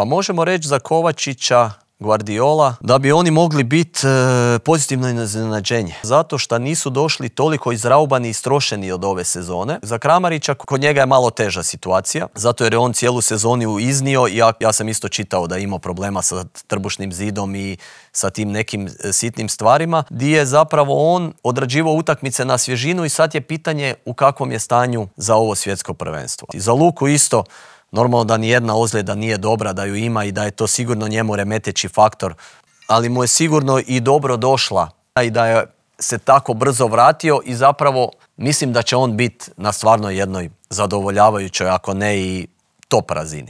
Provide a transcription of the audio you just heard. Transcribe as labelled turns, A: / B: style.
A: Pa možemo reći za Kovačića, Guardiola, da bi oni mogli biti pozitivno iznenađenje. Zato što nisu došli toliko izraubani i istrošeni od ove sezone. Za Kramarića kod njega je malo teža situacija, zato jer je on cijelu sezonu iznio i ja sam isto čitao da je imao problema sa trbušnim zidom i sa tim nekim sitnim stvarima, gdje je zapravo on odrađivao utakmice na svježinu i sad je pitanje u kakvom je stanju za ovo svjetsko prvenstvo. I za Luku isto, normalno da nijedna ozljeda nije dobra, da ju ima i da je to sigurno njemu remeteći faktor, ali mu je sigurno i dobro došla i da je se tako brzo vratio i zapravo mislim da će on biti na stvarno jednoj zadovoljavajućoj, ako ne i top razini.